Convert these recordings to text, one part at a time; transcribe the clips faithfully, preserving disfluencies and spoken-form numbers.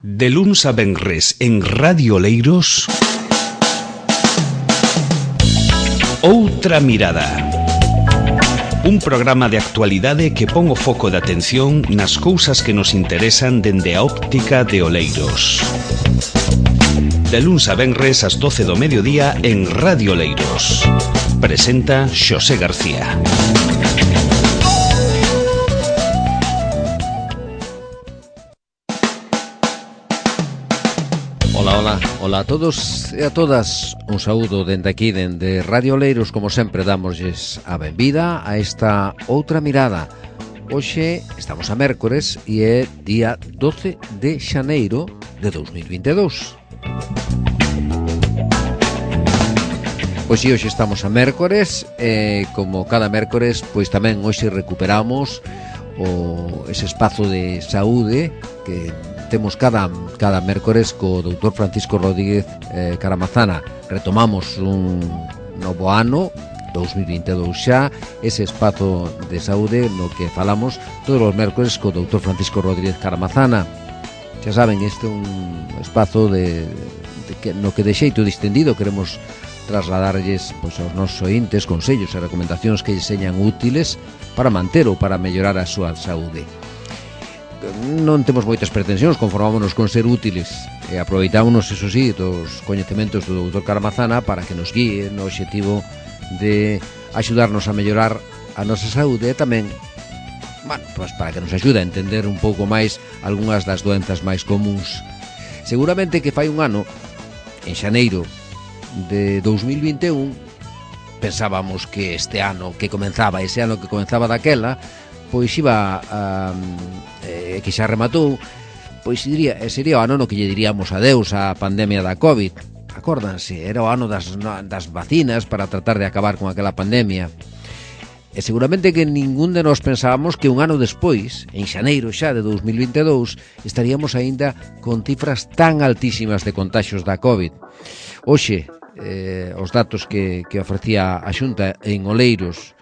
De luns a venres en Radio Oleiros, Outra Mirada. Un programa de actualidade que pon o foco de atención nas cousas que nos interesan dende a óptica de Oleiros. De luns a venres ás doce do mediodía en Radio Oleiros. Presenta Xosé García. Ola, ola, ola a todos e a todas. Un saúdo dende aquí, dende Radio Oleiros. Como sempre, damosles a benvida a esta Outra Mirada. Hoxe estamos a mércores e é día doce de xaneiro de dous mil vinte e dous. Pois si, hoxe estamos a mércores e, como cada mércores, pois tamén hoxe recuperamos o ese espazo de saúde que temos cada, cada mércores co doutor Francisco Rodríguez eh, Caramazana. Retomamos un novo ano, dous mil vinte e dous xa, ese espazo de saúde no que falamos todos os mércores co doutor Francisco Rodríguez Caramazana. Xa saben, este é un espazo de, de que, no que de xeito distendido queremos trasladarlles pois, aos nosos ointes consellos e recomendacións que lles señan útiles para manter ou para mellorar a súa saúde. Non temos moitas pretensións, conformámonos con ser útiles e aproveitámonos, eso sí, dos coñecementos do doutor Caramazana para que nos guíe no obxectivo de axudarnos a mellorar a nosa saúde e tamén, bueno, pues para que nos axude a entender un pouco máis algunhas das doenzas máis comuns. Seguramente que fai un ano, en xaneiro de dous mil vinte e un, pensábamos que este ano que comenzaba, ese ano que comenzaba daquela, pois iba a, eh, que xa rematou, pois diría, sería o ano no que lle diríamos adeus á pandemia da COVID. Acórdanse, era o ano das, das vacinas para tratar de acabar con aquela pandemia. E seguramente que ningún de nós pensábamos que un ano despois, en xaneiro xa de dous mil vinte e dous, estaríamos aínda con cifras tan altísimas de contaxios da COVID. Hoxe, eh, os datos que, que ofrecía a Xunta en Oleiros,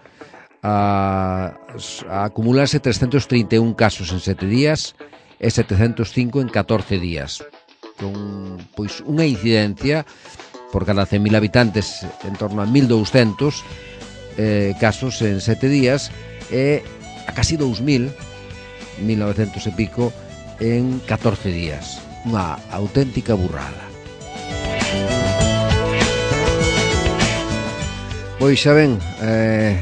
a, a acumularse trescentos trinta e un casos en sete días e setecentos cinco en catorce días, con pois unha incidencia por cada cen mil habitantes en torno a mil douscentos eh, casos en sete días e a casi dous mil, mil novecentos e pico en catorce días. Unha auténtica burrada. Pois xa ven, eh,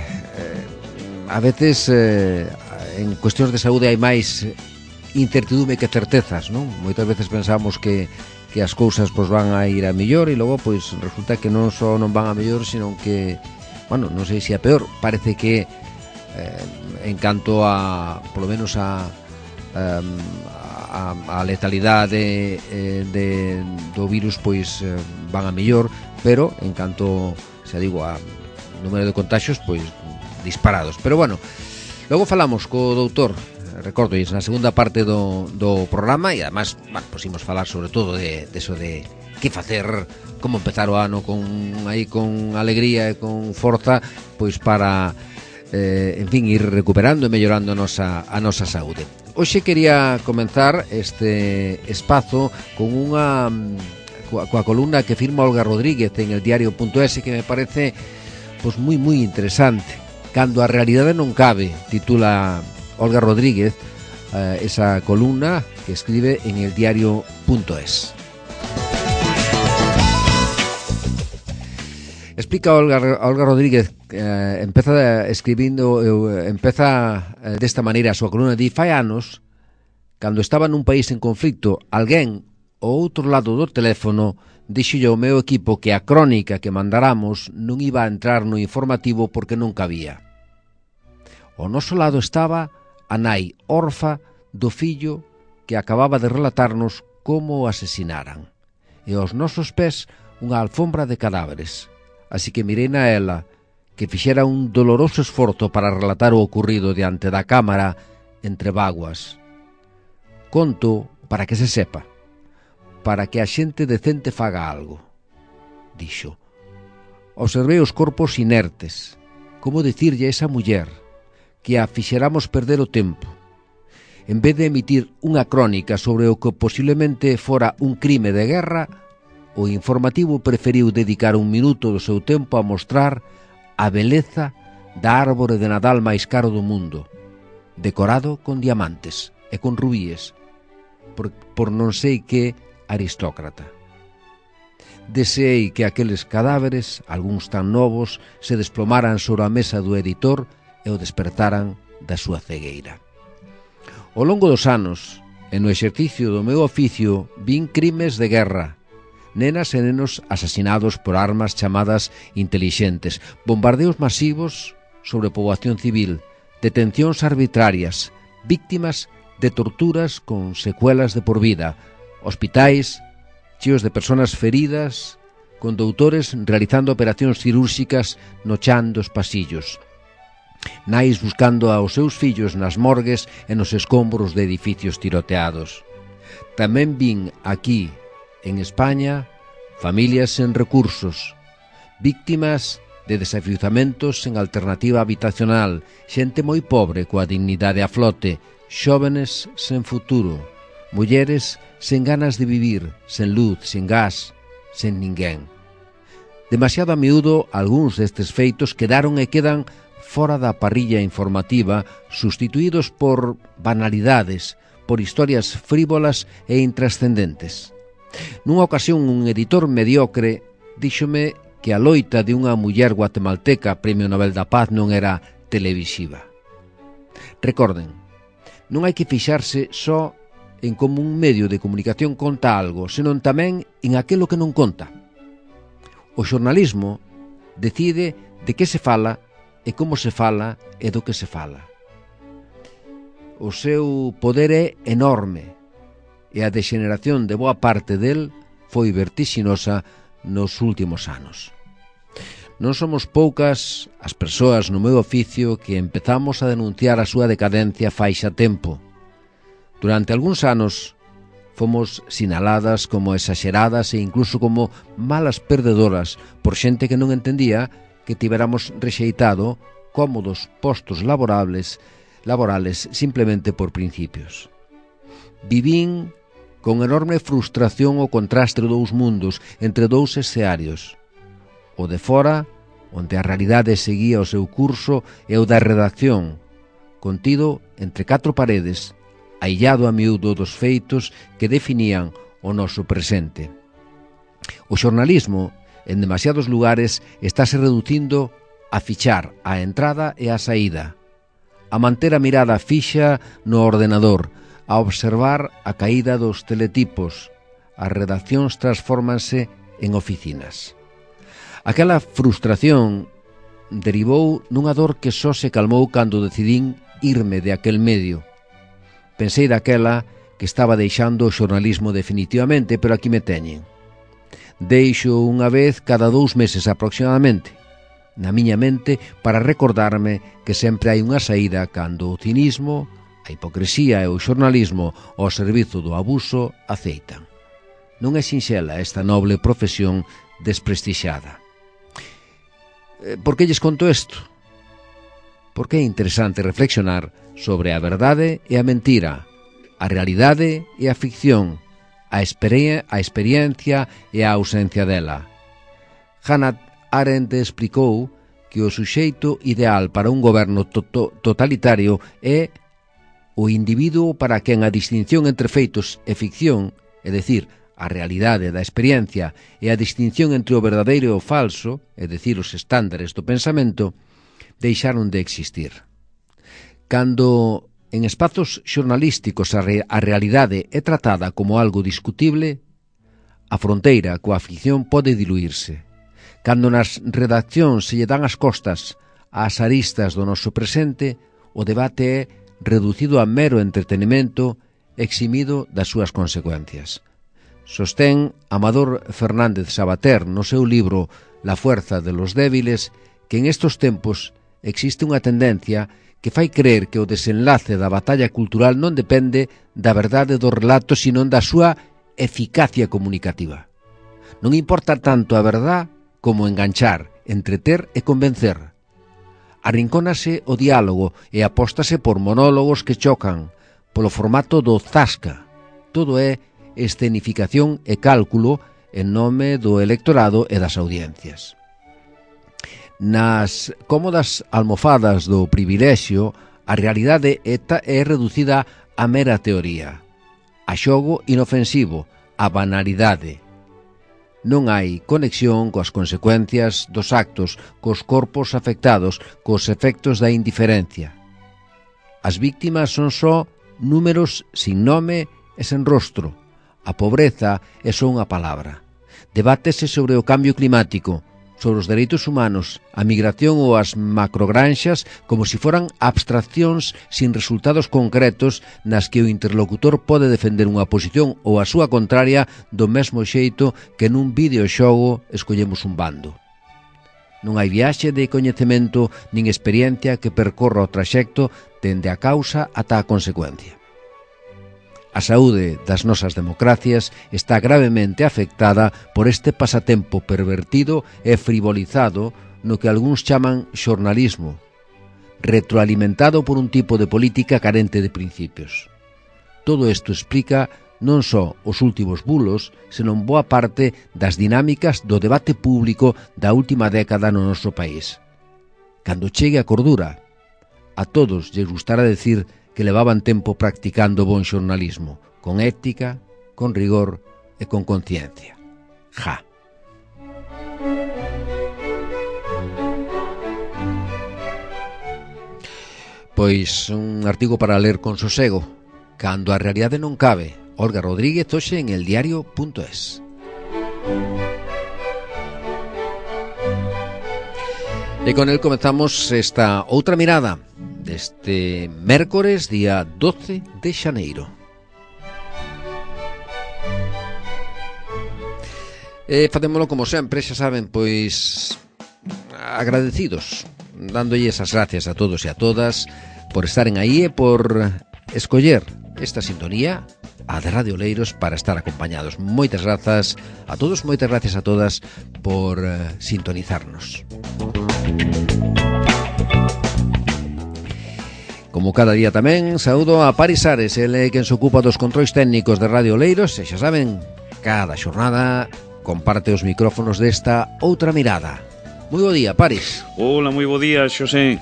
a veces eh, en cuestións de saúde hai máis incertidume que certezas, non? Moitas veces pensamos que, que as cousas pois, van a ir a mellor e logo pois resulta que non só non van a mellor, sino que, bueno, non sei se a peor. Parece que eh, en canto a, polo menos a a, a letalidade eh, de, do virus pois eh, van a mellor, pero en canto, xa digo, a número de contaxios, pois disparados. Pero bueno, logo falamos co doutor, recordo, na segunda parte do, do programa, e además, bueno, pues imos falar sobre todo de, de eso de que facer, como empezar o ano con aí con alegría e con forza, pois para eh, en fin, ir recuperando e mellorando a nosa, a nosa saúde. Hoxe quería comenzar este espazo con unha coa, coa columna que firma Olga Rodríguez en el diario punto es, que me parece pois moi moi interesante. Cando a realidade non cabe, titula Olga Rodríguez eh, esa columna que escribe en el diario punto es. Explica Olga, Olga Rodríguez, eh, empeza escribindo, eh, empeza eh, desta maneira a súa columna, di: fai anos, cando estaba nun país en conflicto, alguén ao outro lado do teléfono dixolle ao meu equipo que a crónica que mandaramos non iba a entrar no informativo porque non cabía. Ao noso lado estaba a nai orfa do fillo que acababa de relatarnos como o asesinaran, e aos nosos pés unha alfombra de cadáveres. Así que mirei na ela, que fixera un doloroso esforzo para relatar o ocurrido diante da cámara entre vaguas. Conto para que se sepa, para que a xente decente faga algo, dixo. Observei os corpos inertes, como dicirlle a esa muller que a fixeramos perder o tempo. en vez de emitir unha crónica sobre o que posiblemente fora un crime de guerra, o informativo preferiu dedicar un minuto do seu tempo a mostrar a beleza da árbore de Nadal máis caro do mundo, decorado con diamantes e con rubíes, por, por non sei que aristócrata. Deseei que aqueles cadáveres, algúns tan novos, se desplomaran sobre a mesa do editor e o despertaran da súa cegueira. Ao longo dos anos, e no exercicio do meu oficio, vin crimes de guerra, nenas e nenos asasinados por armas chamadas intelixentes, bombardeos masivos sobre poboación civil, detencións arbitrarias, víctimas de torturas con secuelas de por vida, hospitais cheos de persoas feridas, con doutores realizando operacións cirúrxicas no chan dos pasillos, nais buscando aos seus fillos nas morgues e nos escombros de edificios tiroteados. Tamén vin aquí, en España, familias sen recursos, víctimas de desafiuzamentos sen alternativa habitacional, xente moi pobre coa dignidade a flote, xóvenes sen futuro, mulleres sen ganas de vivir, sen luz, sen gas, sen ninguén. Demasiado a miúdo, algúns destes feitos quedaron e quedan fora da parrilla informativa, sustituídos por banalidades, por historias frívolas e intrascendentes. Nunha ocasión, un editor mediocre díxome que a loita de unha muller guatemalteca Premio Nobel da Paz non era televisiva. Recorden, non hai que fixarse só en como un medio de comunicación conta algo, senón tamén en aquilo que non conta. O xornalismo decide de que se fala e como se fala e do que se fala. O seu poder é enorme e a degeneración de boa parte del foi vertixinosa nos últimos anos. Non somos poucas as persoas no meu oficio que empezamos a denunciar a súa decadencia fai xa tempo. Durante algúns anos fomos sinaladas como exaxeradas e incluso como malas perdedoras por xente que non entendía que tiveramos rexeitado cómodos postos laborables, laborales simplemente por principios. Vivín con enorme frustración o contraste dos dous mundos entre dous escearios, o de fora, onde a realidade seguía o seu curso, e o da redacción, contido entre catro paredes, aillado a miúdo dos feitos que definían o noso presente. O xornalismo, en demasiados lugares, estáse reducindo a fichar a entrada e a saída, a manter a mirada fixa no ordenador, a observar a caída dos teletipos. As redaccións transfórmanse en oficinas. Aquela frustración derivou nunha dor que só se calmou cando decidín irme de aquel medio. Pensei daquela que estaba deixando o xornalismo definitivamente, pero aquí me teñen. Deixo unha vez cada dous meses aproximadamente, na miña mente, para recordarme que sempre hai unha saída cando o cinismo, a hipocresía e o xornalismo ao servizo do abuso aceitan. Non é sinxela esta noble profesión desprestixada. Por que lles conto isto? Porque é interesante reflexionar sobre a verdade e a mentira, a realidade e a ficción, a, experien- a experiencia e a ausencia dela. Hannah Arendt explicou que o suxeito ideal para un goberno to- to- totalitario é o individuo para quen a distinción entre feitos e ficción, é dicir, a realidade da experiencia e a distinción entre o verdadeiro e o falso, é dicir, os estándares do pensamento, deixaron de existir. Cando en espazos xornalísticos a, re- a realidade é tratada como algo discutible, a fronteira coa ficción pode diluirse. Cando nas redaccións se lle dan as costas ás aristas do noso presente, o debate é reducido a mero entretenimento, eximido das súas consecuencias. Sostén Amador Fernández Sabater no seu libro La fuerza de los débiles que en estos tempos existe unha tendencia que fai creer que o desenlace da batalla cultural non depende da verdade do relato, sino da súa eficacia comunicativa. Non importa tanto a verdade como enganchar, entreter e convencer. Arrincónase o diálogo e apóstase por monólogos que chocan, polo formato do Zasca. Todo é escenificación e cálculo en nome do electorado e das audiencias. Nas cómodas almofadas do privilexio, a realidade é reducida a mera teoría, a xogo inofensivo, a banalidade. Non hai conexión coas consecuencias dos actos, cos corpos afectados, cos efectos da indiferencia. As víctimas son só números sin nome e sen rostro. A pobreza é só unha palabra. Debátese sobre o cambio climático, sobre os dereitos humanos, a migración ou as macrogranxas como se foran abstraccións sin resultados concretos nas que o interlocutor pode defender unha posición ou a súa contraria do mesmo xeito que nun videoxogo escollemos un bando. Non hai viaxe de coñecemento nin experiencia que percorra o traxecto dende a causa ata a consecuencia. A saúde das nosas democracias está gravemente afectada por este pasatempo pervertido e frivolizado no que algúns chaman xornalismo, retroalimentado por un tipo de política carente de principios. Todo isto explica non só os últimos bulos, senón boa parte das dinámicas do debate público da última década no noso país. Cando chegue a cordura, a todos lles gustará decir que levaban tempo practicando bon xornalismo, con ética, con rigor e con conciencia. Ja. Pois un artigo para ler con sosego. Cando a realidade non cabe. Olga Rodríguez, hoxe en eldiario punto es. E con el comezamos esta outra mirada deste mércores, día doce de xaneiro. E facémolo como sempre, xa saben, pois agradecidos, dándolles as gracias a todos e a todas por estaren aí e por escoller esta sintonía, a de Radio Oleiros, para estar acompañados. Moitas grazas a todos, moitas gracias a todas por uh, sintonizarnos. Como cada día tamén, saúdo a Paris Ares, ele é quen se ocupa dos controis técnicos de Radio Oleiros, e xa saben, cada xornada comparte os micrófonos desta outra mirada. Moi bo día, Paris. Hola, moi bo día, Xosé.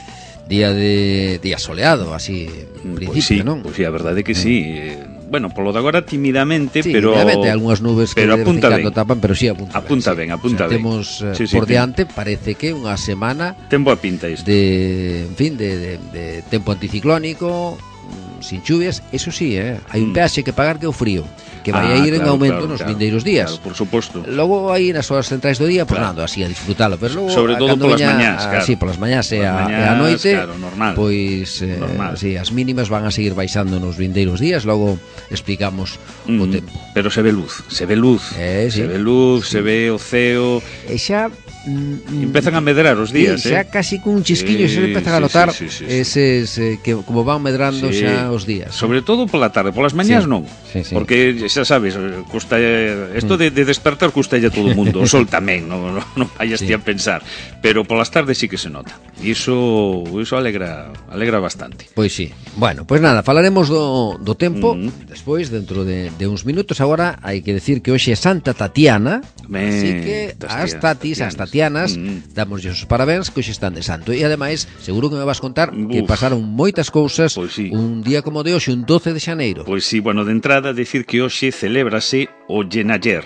Día de día soleado, así, en principio, pois sí, non? Pois sí, a verdade é que sí. Mm. Bueno, polo de agora timidamente, sí, pero... timidamente, algunhas nubes que de vez en cando tapan, pero sí apunta, apunta ben. ben, apunta o sea, ben. Temos sí, sí, por sí, diante, parece que unha semana... Ten boa pinta isto. De, en fin, de, de, de tempo anticiclónico, sin chuvias, eso sí, eh, hai un peaxe que pagar que é o frío, que vai ah, a ir claro, en aumento claro, nos claro, vindeiros días. Claro, por suposto. Logo aí nas horas centrais do día, pues claro. nada, así a disfrutalo, pero logo sobre todo polas veña, mañás, claro. Sí, polas mañás e a, mañás, e a noite, claro, normal. Pois eh, normal. sí, as mínimas van a seguir baixando nos vindeiros días, logo explicamos mm, o tempo. Pero se ve luz, se ve luz. Eh, sí. Se ve luz, se ve o ceo. E xa mm, empezan a medrar os días, sí, xa eh. casi cun chisquiño sí, se empezan sí, a notar sí, sí, sí, sí. eses eh, que como van medrando sí. xa os días. Sobre todo pola tarde, polas mañás sí. non. Sí, sí. Porque xa sabes, custa isto de, de despertar custalle a todo o mundo, o sol tamén, non no, no vayas sí. ti a pensar, pero polas tardes sí que se nota. E iso iso alegra alegra bastante. Pois sí. Bueno, pois nada, falaremos do do tempo mm. despois dentro de de uns minutos. Agora hai que decir que hoxe é Santa Tatiana, ben, así que as tatis, as tatianas, mm. damoslle os parabéns que hoxe están de santo. E ademais, seguro que me vas contar Uf. que pasaron moitas cousas pues sí. un día como de hoxe, un doce de xaneiro. Pois sí, bueno, de entrada decir que hoxe celébrase o Yenayer,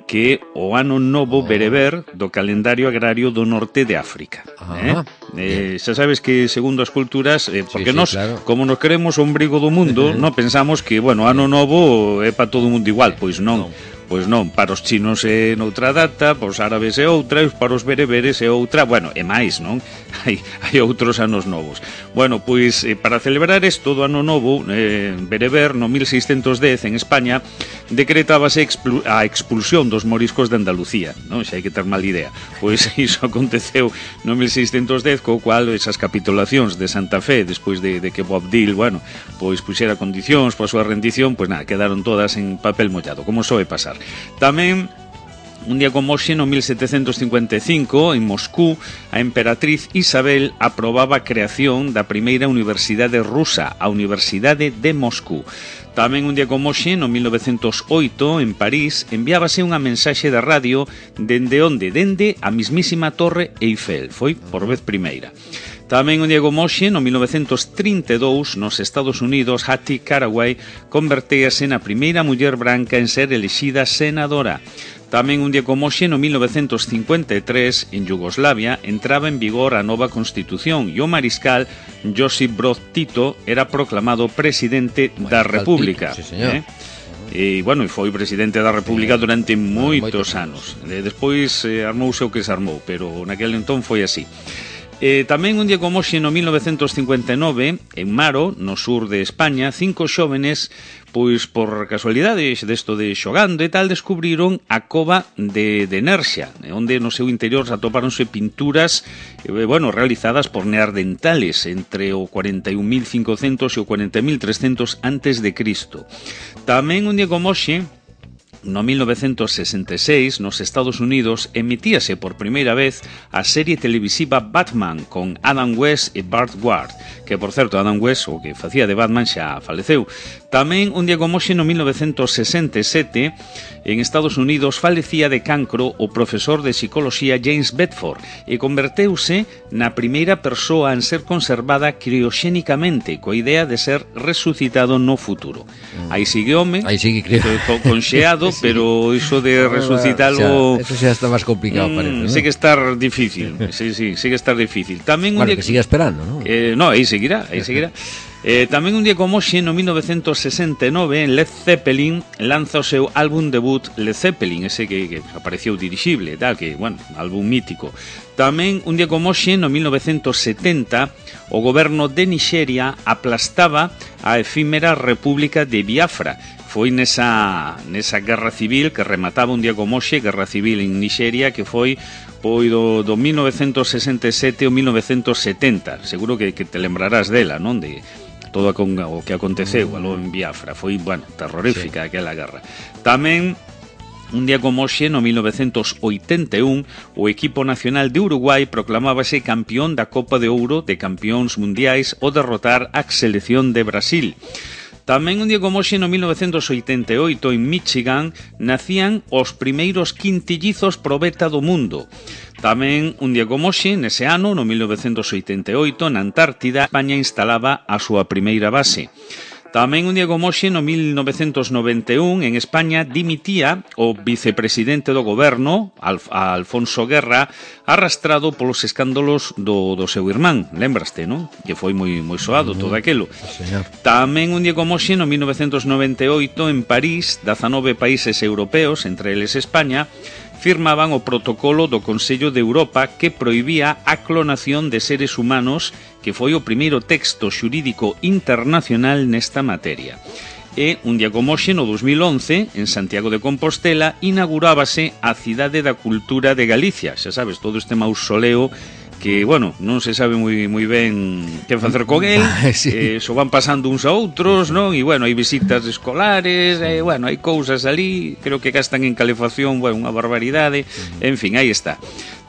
que é o ano novo bereber do calendario agrario do norte de África. Ah, eh? Eh, xa sabes que segundo as culturas, eh, porque sí, sí, nos, claro. como nos queremos o ombrigo do mundo, non pensamos que, bueno, ano novo é para todo o mundo igual, pois non. non. Pois non, para os chinos é noutra data, para os árabes é outra, e para os bereberes é outra, bueno, é máis, non? Hai, hai outros anos novos. Bueno, pois, eh, para celebrar isto do ano novo, eh, bereber, no mil seiscentos dez, en España, decretábase expul a expulsión dos moriscos de Andalucía, non? Xa hai que ter mal idea. Pois iso aconteceu no mil seiscentos dez, co cual esas capitulacións de Santa Fe, despois de, de que Bob Dil, bueno, pois puxera condicións para a súa rendición, pois nada, quedaron todas en papel mollado, como soe pasar. Tamén Un día como hoxe, no mil setecentos cincuenta e cinco, en Moscú, a emperatriz Isabel aprobaba a creación da primeira universidade rusa, a Universidade de Moscú. Tamén un día como hoxe, no mil novecentos oito, en París, enviábase unha mensaxe da radio dende onde? Dende a mismísima Torre Eiffel. Foi por vez primeira. Tamén un día como hoxe, no mil novecentos trinta e dous, nos Estados Unidos, Hattie Caraway convertéase na primeira muller branca en ser elixida senadora. Tamén un día como hoxe, no mil novecentos cincuenta e tres, en Yugoslavia, entraba en vigor a nova Constitución e o mariscal Josip Broz Tito era proclamado presidente da República. Tito, sí, señor. Eh? E, bueno, foi presidente da República durante moitos anos. Despois eh, armouse o que se armou, pero naquele entón foi así. Eh, tamén un día como hoxe, no mil novecentos cincuenta e nove, en Maro, no sur de España, cinco xóvenes, pois por casualidade desto de xogando e tal, descubriron a cova de, de Nerxa, onde no seu interior atopáronse pinturas eh, bueno, realizadas por neandertales entre o cuarenta e un mil cincocentos e o cuarenta mil trescentos antes de Cristo. Tamén un día como hoxe, no mil novecentos sesenta e seis, nos Estados Unidos, emitíase por primeira vez a serie televisiva Batman con Adam West e Burt Ward, que, por certo, Adam West, o que facía de Batman, xa faleceu. Tamén, un día como hoxe, no mil novecentos sesenta e sete, en Estados Unidos, falecía de cancro o profesor de psicoloxía James Bedford e converteuse na primeira persoa en ser conservada crioxénicamente, coa idea de ser resucitado no futuro. Aí sigue home, aí sigue conxeado, sí. Pero iso de resucitalo... Eso xa está máis complicado, mm, parece, ¿no? Sigue estar difícil, sí, sí, sigue estar difícil. Tamén un bueno, día... que siga esperando, ¿no? Eh, no, aí seguirá, aí seguirá. Eh, tamén un día como hoxe, no mil novecentos sesenta e nove, Led Zeppelin lanza o seu álbum debut Led Zeppelin, ese que, que apareceu dirixible, tal, que, bueno, álbum mítico. Tamén un día como hoxe, no mil novecentos setenta, o goberno de Nixeria aplastaba a efímera República de Biafra. Foi nesa, nesa guerra civil que remataba un día como hoxe, guerra civil en Nixeria, que foi foi do, do mil novecentos sesenta e sete ao mil novecentos setenta. Seguro que, que te lembrarás dela, non? De todo o que aconteceu aló en Biafra. Foi, bueno, terrorífica, sí, aquela guerra. Tamén un día como hoxe, no mil novecentos oitenta e un, o equipo nacional de Uruguai proclamábase campeón da Copa de Ouro de Campeóns Mundiais ao derrotar a selección de Brasil. Tamén un día como hoxe, no mil novecentos oitenta e oito, en Michigan, nacían os primeiros quintillizos probeta do mundo. Tamén un día como hoxe, nese ano, no mil novecentos oitenta e oito, na Antártida, España instalaba a súa primeira base. Tamén un día como hoxe, no mil novecentos noventa e un, en España dimitía o vicepresidente do goberno, Alf, Alfonso Guerra, arrastrado polos escándalos do, do seu irmán, lembraste, non? Que foi moi, moi soado todo aquelo. Señor. Tamén un día como hoxe, no mil novecentos noventa e oito, en París, dezanove países europeos, entre eles España, firmaban o protocolo do Consello de Europa que prohibía a clonación de seres humanos, que foi o primeiro texto xurídico internacional nesta materia. E un día como hoxe, no dos mil once, en Santiago de Compostela, inaugurábase a Cidade da Cultura de Galicia. Xa sabes, todo este mausoleo que, bueno, non se sabe moi moi ben que facer con el, sí. eh, so van pasando uns a outros, non? E, bueno, hai visitas escolares, eh, bueno, hai cousas ali, creo que gastan en calefacción, bueno, unha barbaridade, en fin, aí está.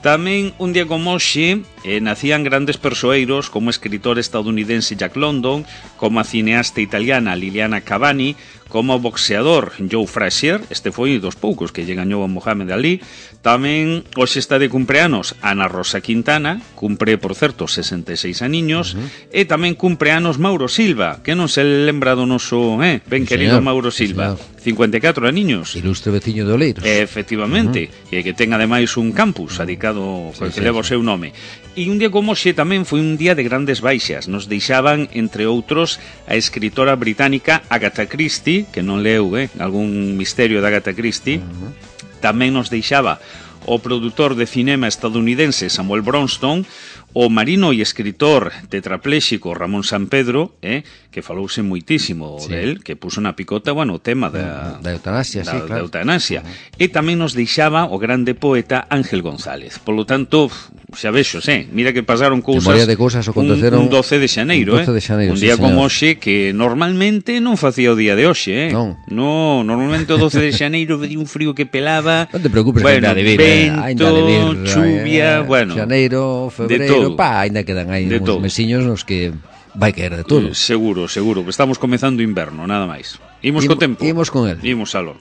Tamén, un día como hoxe, eh, nacían grandes persoeiros como o escritor estadounidense Jack London, como a cineasta italiana Liliana Cavani, como o boxeador Joe Frazier, este foi dos poucos que lle gañou a Muhammad Ali. Tamén hoxe está de cumpleanos Ana Rosa Quintana, cumpre, por certo, sesenta e seis aniños, uh-huh. E tamén cumpleanos Mauro Silva, que non se lembra do noso, eh, ben sí, querido señor. Mauro Silva, sí, cincuenta e catro aniños. Ilustre veciño de Oleiros. Efectivamente, uh-huh. E que ten ademais un campus dedicado, sí, que sí, leva o seu nome. E un día como hoxe tamén foi un día de grandes baixas. Nos deixaban, entre outros, a escritora británica Agatha Christie, que non leu, eh, algún misterio de Agatha Christie. Uh-huh. Tamén nos deixaba o produtor de cinema estadounidense Samuel Bronston, O marino e escritor tetrapléxico Ramón Sampedro, eh, que falouse moitísimo sí. del, que puso na picota, bueno, o tema da, da eutanasia, da, sí, claro. Da eutanasia. Uh-huh. E tamén nos deixaba o grande poeta Ángel González. Polo tanto, xa vexos, eh, mira que pasaron cousas, de cousas aconteceron un, un doce de xaneiro, un doce de xaneiro, eh, un día sí, como hoxe que normalmente non facía o día de hoxe, eh. Non. No, normalmente o doce de xaneiro veía un frío que pelaba. Non te preocupes, bueno, ainda de vir, vento, ainda de vir, chuvia, eh, bueno. Xaneiro, febreiro, pa, ainda quedan aí uns todo. Mesiños nos que vai caer de todo. Eh, seguro, seguro, que estamos comezando inverno, nada máis. Imos co tempo. Imos con el. Imos aló.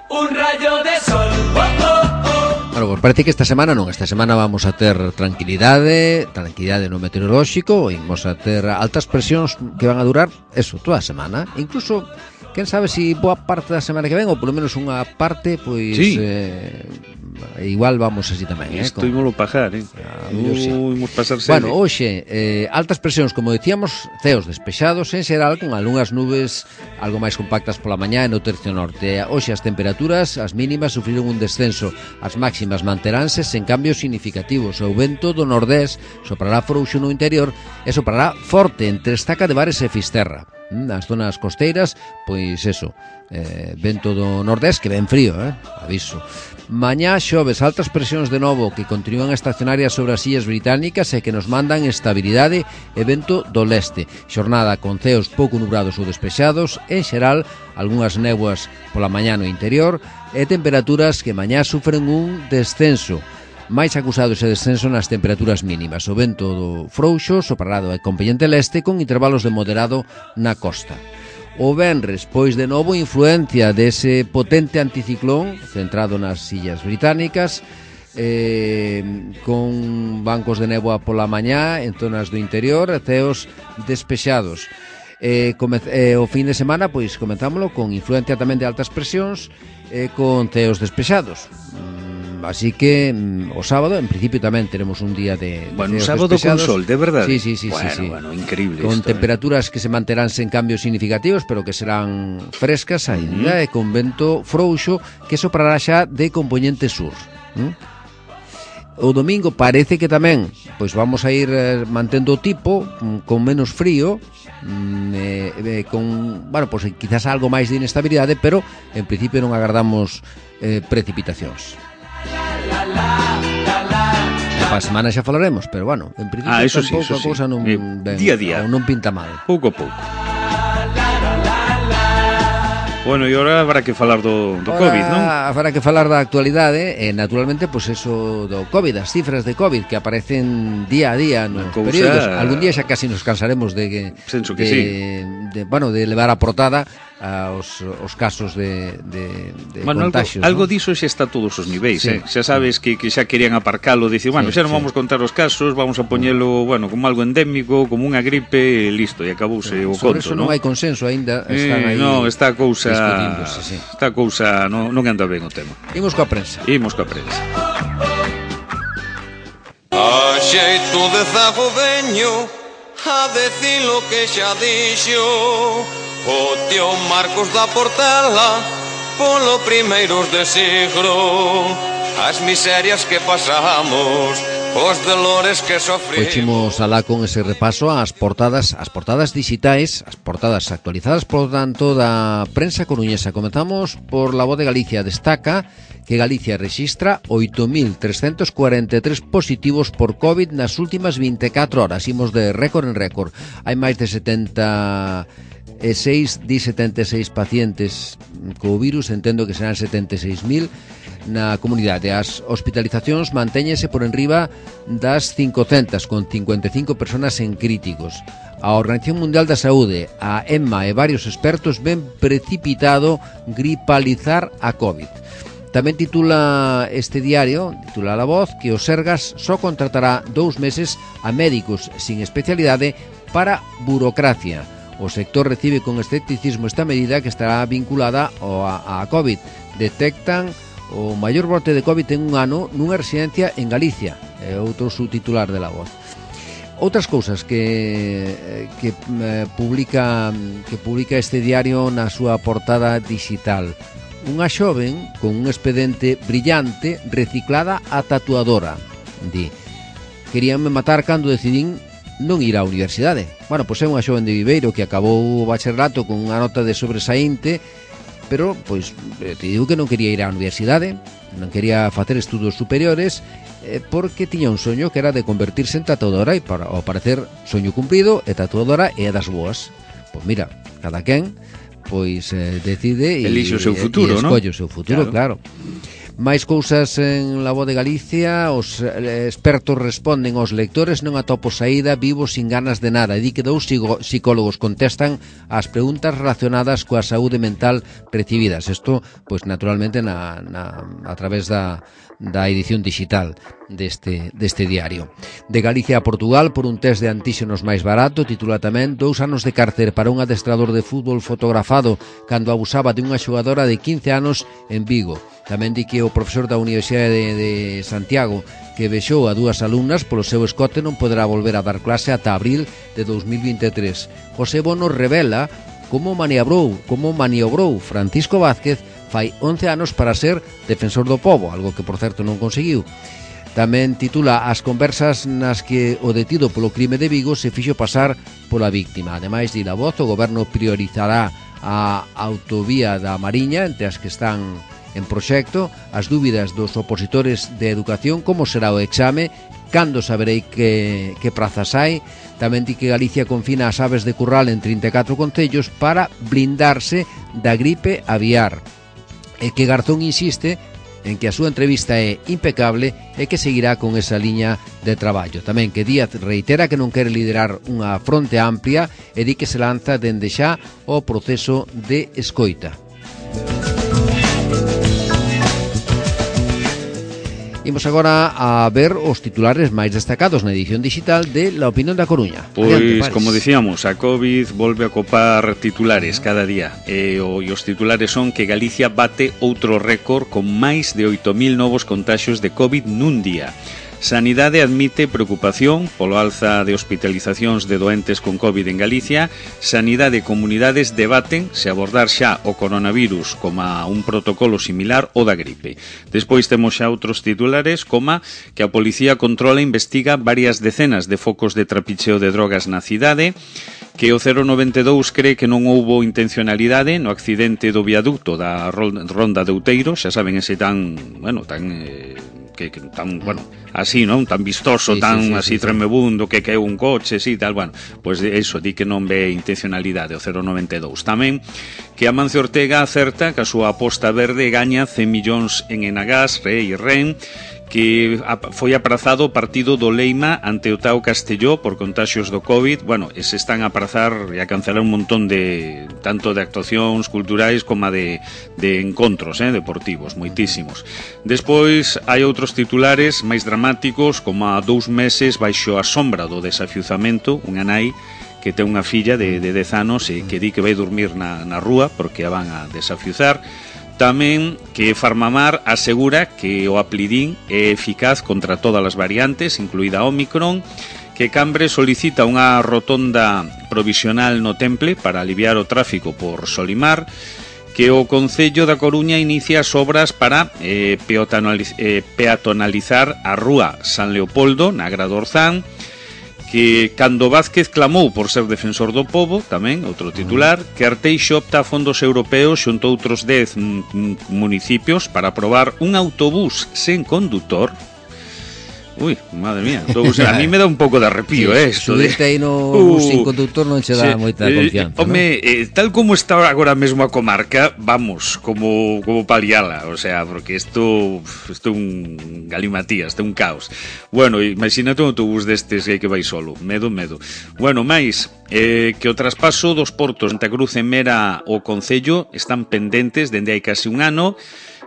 Un rayo de sol. Oh, oh, oh. Bueno, pues parece que esta semana non, esta semana vamos a ter tranquilidade, tranquilidade no meteorolóxico, imos a ter altas presións que van a durar eso, toda a semana, incluso quen sabe se si boa parte da semana que ven ou polo menos unha parte, pois sí. eh, igual vamos así tamén, eh, Isto ímolo pajar, eh. Ah, uh, sí. Imos pasar Bueno, hoxe, eh, altas presións, como dicíamos, ceos despexados en xeral, con algunhas nubes algo máis compactas pola mañá no tercio norte. Hoxe as temperaturas, as mínimas, sufriron un descenso, as máximas manteránse sen cambios significativos. O vento do nordés soprará frouxo no interior e soprará forte entre Estaca de Bares e Fisterra. Nas zonas costeiras, pois eso, eh, vento do nordés que ven frío, eh, aviso. Mañá xoves, altas presións de novo que continúan estacionarias sobre as illas británicas e que nos mandan estabilidade e vento do leste. Xornada con ceos pouco nubrados ou despexados, en xeral, algunhas néboas pola mañá no interior e temperaturas que mañá sufren un descenso. Máis acusado ese descenso nas temperaturas mínimas. O vento do frouxo soprará do componente leste con intervalos de moderado na costa. O venres, pois de novo influencia dese potente anticiclón centrado nas illas británicas, eh, con bancos de néboa pola mañá en zonas do interior, ceos despexados. Eh, come, eh, o fin de semana, pois comentámoslo, con influencia tamén de altas presións, eh, con ceos despexados. Así que mm, o sábado, en principio, tamén teremos un día de, de bueno, sábado despechados. con sol, de verdade. Sí, sí, sí, bueno, sí, sí. Bueno, increíble con esto, temperaturas eh. que se manterán sen cambios significativos, pero que serán frescas ainda, uh-huh. e con vento frouxo que soprará xa de componente sur. ¿Mm? O domingo parece que tamén pois vamos a ir eh, mantendo o tipo, mm, con menos frío, mm, eh, eh, con, bueno, pois quizás algo máis de inestabilidade, pero en principio non agardamos eh, precipitacións. Para a semana xa falaremos, pero bueno, en principio ah, eso tampouco sí, eso a cousa non sí. ben, día a día, non pinta mal. Pouco a pouco. Bueno, e agora habrá que falar do, do COVID, non? Habrá que falar da actualidade e, naturalmente, pois eso do COVID, as cifras de COVID que aparecen día a día nos cousa... períodos. Algún día xa casi nos cansaremos de que, Senso que de, sí. de, bueno, de levar a portada aos os casos de, de, de bueno, contagios. Algo, algo ¿no? diso xa está a todos os niveis, sí. eh? Xa sabes que, que xa querían aparcalo, dicir, bueno, sí, xa non sí. vamos contar os casos, vamos a poñelo, bueno, como algo endémico, como unha gripe, e listo, e acabouse sí. o Sobre conto, eso non hai consenso aínda, están eh, aí. No, está a cousa, sí. está a cousa, non, non anda ben o tema. Imos coa prensa. Imos coa prensa. A xeito de zago veño a decir lo que xa dixo o tío Marcos da Portela polo primeiros de siglo, as miserias que pasamos, os dolores que sofrimos. Pois alá con ese repaso ás portadas, as portadas digitais, as portadas actualizadas por tanto da prensa coruñesa. Comenzamos por La Voz de Galicia. Destaca que Galicia rexistra oito mil trescentos cuarenta e tres positivos por COVID nas últimas vinte e catro horas. Imos de récord en récord. Hai máis de setenta e seis, di setenta e seis pacientes co virus, entendo que serán setenta e seis mil na comunidade. As hospitalizacións mantéñense por enriba das cincocentas, con cincuenta e cinco personas en críticos. A Organización Mundial da Saúde, a EMA e varios expertos ven precipitado gripalizar a COVID. Tamén titula este diario, titula La Voz, que o Sergas só contratará dous meses a médicos sin especialidade para burocracia. O sector recibe con escepticismo esta medida que estará vinculada a, a COVID. Detectan o maior brote de COVID en un ano nunha residencia en Galicia. É outro subtitular de La Voz. Outras cousas que, que, eh, publica, que publica este diario na súa portada digital. unha xoven con un expediente brillante reciclada a tatuadora. Di, queríanme matar cando decidín non ir á universidade. Bueno, pois é unha xoven de Viveiro que acabou o bacharelato con unha nota de sobresaínte, pero, pois, te digo que non quería ir á universidade, non quería facer estudos superiores, eh, porque tiña un soño que era de convertirse en tatuadora, e para, ao parecer, soño cumprido, e tatuadora é das boas. Pois mira, cada quen pois eh, decide e elixe o seu futuro, e escolle o seu futuro, claro. claro. Máis cousas en La Voz de Galicia. Os eh, expertos responden aos lectores: non atopo saída, vivo sin ganas de nada. E di que dous psicólogos contestan as preguntas relacionadas coa saúde mental recibidas. Isto, pois naturalmente na, na, a través da da edición digital deste, deste diario. De Galicia a Portugal, por un test de antíxenos máis barato, titula tamén: dous anos de cárcere para un adestrador de fútbol fotografado cando abusaba de unha xogadora de quince anos en Vigo. Tamén di que o profesor da Universidade de, de Santiago, que vexou a dúas alumnas polo seu escote, non poderá volver a dar clase ata abril de dos mil vinte e tres. José Bono revela como maniobrou, como maniobrou Francisco Vázquez fai once anos para ser defensor do pobo, algo que, por certo, non conseguiu. Tamén titula as conversas nas que o detido polo crime de Vigo se fixo pasar pola víctima. Ademais, di La Voz, o goberno priorizará a autovía da Mariña entre as que están en proxecto, as dúbidas dos opositores de educación, como será o exame, cando saberei que, que prazas hai. Tamén di que Galicia confina as aves de curral en trinta e catro concellos para blindarse da gripe aviar. E que Garzón insiste en que a súa entrevista é impecable e que seguirá con esa liña de traballo. Tamén que Díaz reitera que non quere liderar unha fronte amplia e di que se lanza dende xa o proceso de escoita. Imos agora a ver os titulares máis destacados na edición digital de La Opinión da Coruña. Pois, como dicíamos, a COVID volve a copar titulares cada día. E, o, e os titulares son que Galicia bate outro récord con máis de oito mil novos contaxios de COVID nun día. Sanidade admite preocupación polo alza de hospitalizacións de doentes con COVID en Galicia. Sanidade e comunidades debaten se abordar xa o coronavirus como un protocolo similar ao da gripe. Despois temos xa outros titulares, como que a policía controla e investiga varias decenas de focos de trapicheo de drogas na cidade, que o cero noventa e dous cree que non houbo intencionalidade no accidente do viaducto da Ronda de Outeiro, xa saben, ese tan, bueno, tan... Eh, que, que tan, bueno, así, non? Tan vistoso, sí, tan sí, sí, así sí, tremebundo, que caeu un coche, sí, tal, bueno, pois pues eso, di que non ve intencionalidade o cero noventa e dous. Tamén que Amancio Ortega acerta que a súa aposta verde gaña cen millóns en Enagás, Re e Ren, que foi aprazado o partido do Leima ante o Tao Castelló por contaxios do COVID. Bueno, e se están a aprazar e a cancelar un montón de, tanto de actuacións culturais como de, de encontros eh, deportivos, moitísimos. Despois hai outros titulares máis dramáticos, como a dous meses baixo a sombra do desafiuzamento, unha nai que ten unha filla de, de dez anos e que di que vai dormir na, na rúa porque a van a desafiuzar. Tamén que Farmamar asegura que o Aplidín é eficaz contra todas as variantes, incluída Omicron, que Cambre solicita unha rotonda provisional no Temple para aliviar o tráfico por Solimar, que o Concello da Coruña inicia as obras para eh, peatonalizar a rúa San Leopoldo na Grada Orzán, que cando Vázquez clamou por ser defensor do pobo, tamén, outro titular, que Arteixo opta a fondos europeos xunto a outros dez municipios para aprobar un autobús sen condutor. Uy, madre mía, autobús, a mí me dá un pouco de arrepío, sí, eh, esto de... Subirte aí no uh, sin conductor non che dá sí, moita confianza, home, ¿no? eh, tal como está agora mesmo a comarca, vamos, como como paliala, o sea, porque isto isto é un galimatías, isto é un caos. Bueno, imagínate un autobús destes que hai que vai solo, medo, medo. Bueno, máis, eh, que o traspaso dos portos Santa Cruz e Mera ao Concello están pendentes dende hai casi un ano.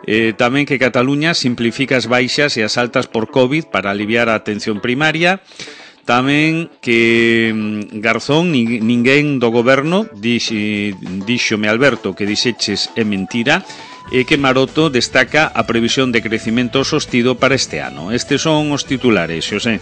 Eh, tamén que Cataluña simplifica as baixas e as altas por COVID para aliviar a atención primaria. Tamén que Garzón, ninguén do goberno, díxome Alberto que dixeches é mentira, e que Maroto destaca a previsión de crecimento sostido para este ano. Estes son os titulares, Xosé.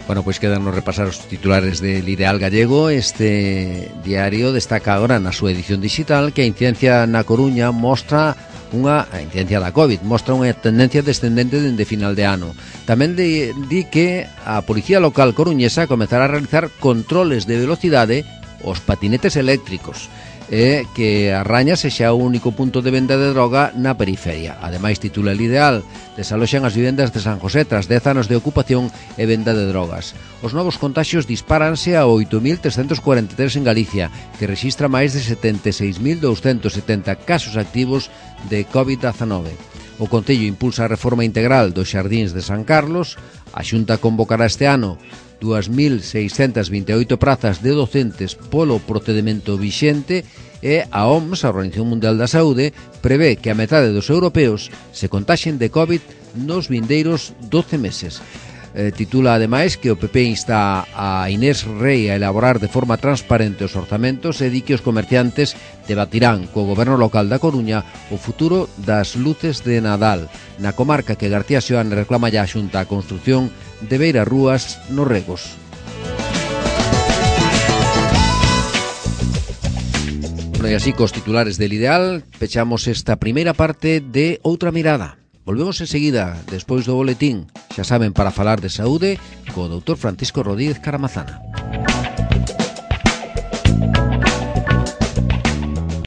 Bueno, pois quedanos repasar os titulares del Ideal Gallego. Este diario destaca agora na súa edición digital que a incidencia na Coruña mostra unha a incidencia da COVID mostra unha tendencia descendente dende final de ano. Tamén di, di que a Policía Local coruñesa comezará a realizar controles de velocidade aos patinetes eléctricos e que a Raña sexa o único punto de venda de droga na periferia. Ademais, titula el Ideal, desaloxan as vivendas de San José tras dez anos de ocupación e venda de drogas. Os novos contaxios dispáranse a oito mil trescentos cuarenta e tres en Galicia, que rexistra máis de setenta e seis mil douscentos setenta casos activos de covid dezenove. O Concello impulsa a reforma integral dos xardíns de San Carlos. A Xunta convocará este ano dúas mil seiscentas vinte e oito prazas de docentes polo procedimento vixente e a O M S, a Organización Mundial da Saúde, prevé que a metade dos europeos se contaxen de COVID nos vindeiros doce meses. Eh, titula ademais que o P P insta a Inés Rei a elaborar de forma transparente os orzamentos e di que os comerciantes debatirán co goberno local da Coruña o futuro das luces de Nadal. Na comarca que García Seoane reclama ya a Xunta a construción de beirarrúas nos regos. Bueno, e así cos titulares del Ideal pechamos esta primeira parte de Outra Mirada. Volvemos enseguida, despois do boletín, xa saben, para falar de saúde co doutor Francisco Rodríguez Caramazana.